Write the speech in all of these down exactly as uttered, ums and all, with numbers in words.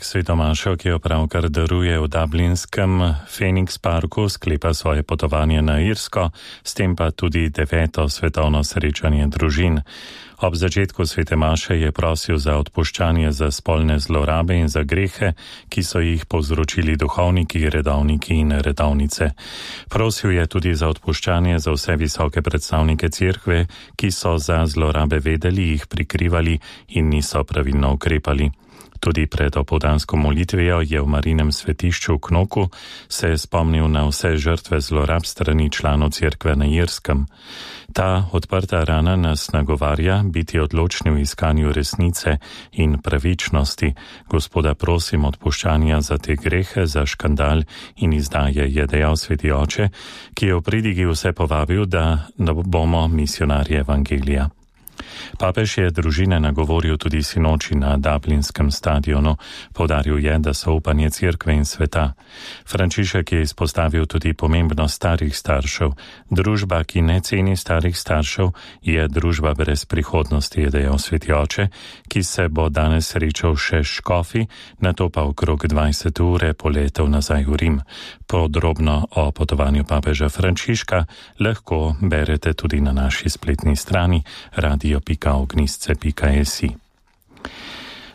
Svetomašo, ki jo pravkar daruje v dublinskem Phoenix Parku, sklepa svoje potovanje na Irsko, s tem pa tudi deveto svetovno srečanje družin. Ob začetku svete maše je prosil za odpuščanje za spolne zlorabe in za grehe, ki so jih povzročili duhovniki, redovniki in redovnice. Prosil je tudi za odpuščanje za vse visoke predstavnike cerkve, ki so za zlorabe vedeli, jih prikrivali in niso pravilno ukrepali. Tudi pred opoldansko molitvijo je v Marinem svetišču v Knoku se spomnil na vse žrtve zlorab strani članov cerkve na Irskem. Ta odprta rana nas nagovarja biti odločni v iskanju resnice in pravičnosti. Gospoda prosim odpuščanja za te grehe, za škandal in izdaje, je dejal sveti oče, ki je v pridigi vse povabil, da bomo misionarji evangelija. Papež je družine nagovoril tudi sinoči na dublinskem stadionu. Poudaril je, da so upanje cerkve in sveta. Frančišek je izpostavil tudi pomembnost starih staršev. Družba, ki ne ceni starih staršev, je družba brez prihodnosti, je dejal sveti oče, ki se bo danes srečal še s škofi, nato pa okrog dvajset ure poletel nazaj v Rim. Podrobno o potovanju papeža Frančiška lahko berete tudi na naši spletni strani radio pika ognjisce pika es i.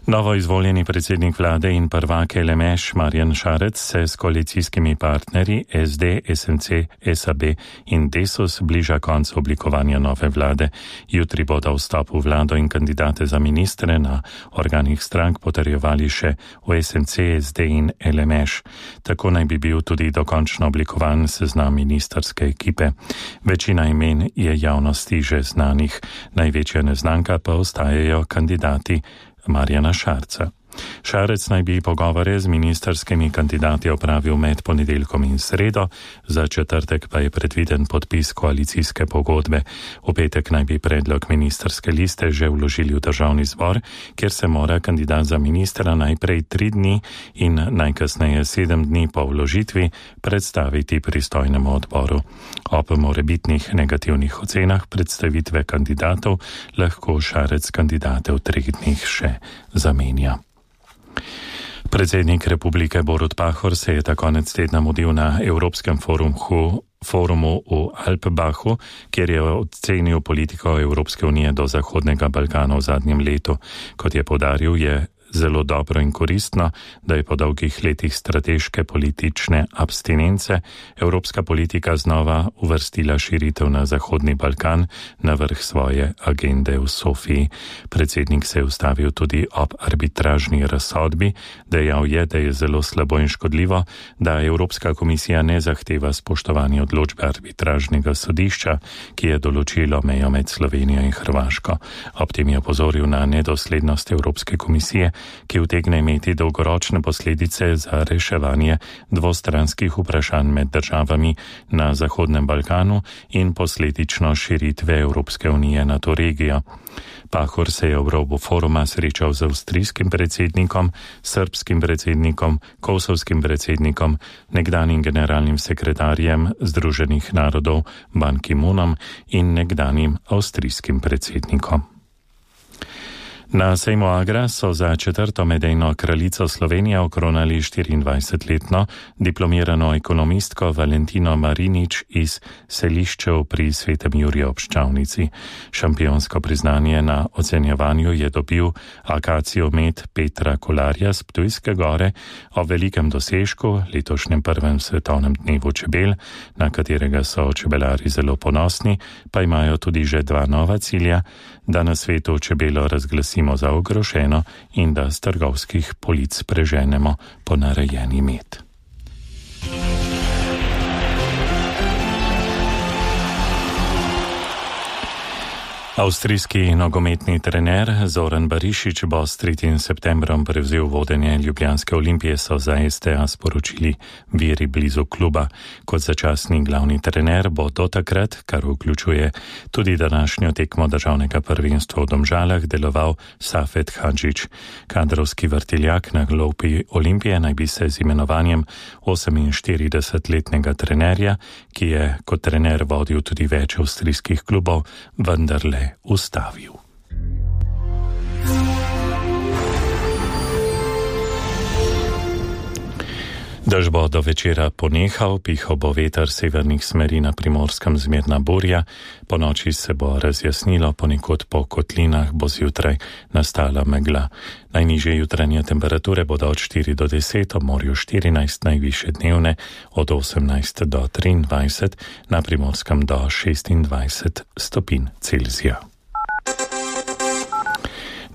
Novo izvoljeni predsednik vlade in prvak L M Š Marjan Šarec se s koalicijskimi partnerji S D, S M C, S A B in Desus bliža koncu oblikovanja nove vlade. Jutri bodo vstop v vlado in kandidate za ministre na organih strank potrjevali še v S M C, S D in L M Š. Tako naj bi bil tudi dokončno oblikovan seznam ministerske ekipe. Večina imen je javnosti že znanih, največja neznanka pa ostajajo kandidati Marjana Šarca. Šarec naj bi pogovore z ministerskimi kandidati opravil med ponedeljkom in sredo, za četrtek pa je predviden podpis koalicijske pogodbe. V petek naj bi predlog ministerske liste že vložili v državni zbor, kjer se mora kandidat za ministra najprej tri dni in najkasneje sedem dni po vložitvi predstaviti pristojnemu odboru. Ob morebitnih negativnih ocenah predstavitve kandidatov lahko Šarec kandidate v treh dneh še zamenja. Predsednik republike Borut Pahor se je ta konec tedna mudil na Evropskem forumu, forumu v Alpbachu, kjer je ocenil politiko Evropske unije do Zahodnega Balkana v zadnjem letu. Kot je poudaril, je zelo dobro in koristno, da je po dolgih letih strateške politične abstinence evropska politika znova uvrstila širitev na Zahodni Balkan na vrh svoje agende v Sofiji. Predsednik se je ustavil tudi ob arbitražni razsodbi, dejal je, da je zelo slabo in škodljivo, da Evropska komisija ne zahteva spoštovanja odločbe arbitražnega sodišča, ki je določilo mejo med Slovenijo in Hrvaško. Ob tem je opozoril na nedoslednost Evropske komisije, ki utegne imeti dolgoročne posledice za reševanje dvostranskih vprašanj med državami na Zahodnem Balkanu in posledično širitve Evropske unije na to regijo. Pahor se je ob robu foruma srečal z avstrijskim predsednikom, srbskim predsednikom, kosovskim predsednikom, nekdanjim generalnim sekretarjem Združenih narodov Ban Ki-moonom in nekdanjim avstrijskim predsednikom. Na sejmu Agra so za četrto medejno kraljico Slovenije okronali štiriindvajsetletno diplomirano ekonomistko Valentino Marinič iz Seliščev pri Svetem Juriju ob Ščavnici. Šampionsko priznanje na ocenjevanju je dobil akaciomet Petra Kolarja z Ptujske gore o velikem dosežku, letošnjem prvem svetovnem dnevu čebel, na katerega so čebelari zelo ponosni, pa imajo tudi že dva nova cilja, da na svetu čebelo razglasimo za ogroženo in da z trgovskih polic preženemo ponarejeni med. Avstrijski nogometni trener Zoran Barišić bo s tretjim septembrom prevzel vodenje ljubljanske Olimpije, so za S T A sporočili viri blizu kluba. Kot začasni glavni trener bo do takrat, kar vključuje tudi današnjo tekmo državnega prvenstva v Domžalah, deloval Safet Hadžić. Kadrovski vrtiljak na klopi Olimpije naj bi se z imenovanjem oseminštiridesetletnega trenerja, ki je kot trener vodil tudi več avstrijskih klubov, vendarle ustavil. Dež bo do večera ponehal, pihal bo veter severnih smeri na Primorskem zmerna burja, po noči se bo razjasnilo, ponekod po kotlinah bo zjutraj nastala megla. Najnižje jutranje temperature bodo od štiri do deset, ob morju štirinajst, najvišje dnevne od osemnajst do triindvajset, na Primorskem do šestindvajset stopinj Celzija.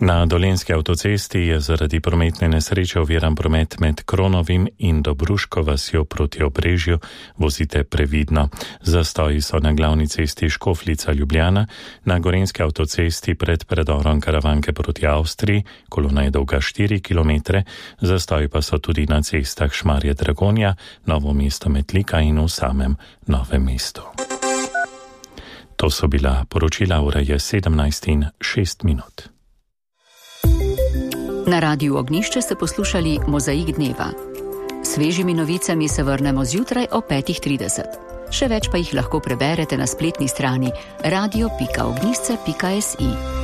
Na Dolenjski avtocesti je zaradi prometne nesreče oviran promet med Kronovim in Dobruško vasjo proti Obrežju. Vozite previdno. Zastoji so na glavni cesti Škofljica-Ljubljana, na Gorenjski avtocesti pred predorom Karavanke proti Avstriji, kolona je dolga štiri kilometre, zastoji pa so tudi na cestah Šmarje-Dragonja, Novo mesto-Metlika in v samem Novem mestu. To so bila poročila, ura je sedemnajst in šest minut. Na Radiu Ognjišče ste poslušali Mozaik dneva. Svežimi novicami se vrnemo zjutraj o petih trideset. Še več pa jih lahko preberete na spletni strani radio pika ognjišče pika si.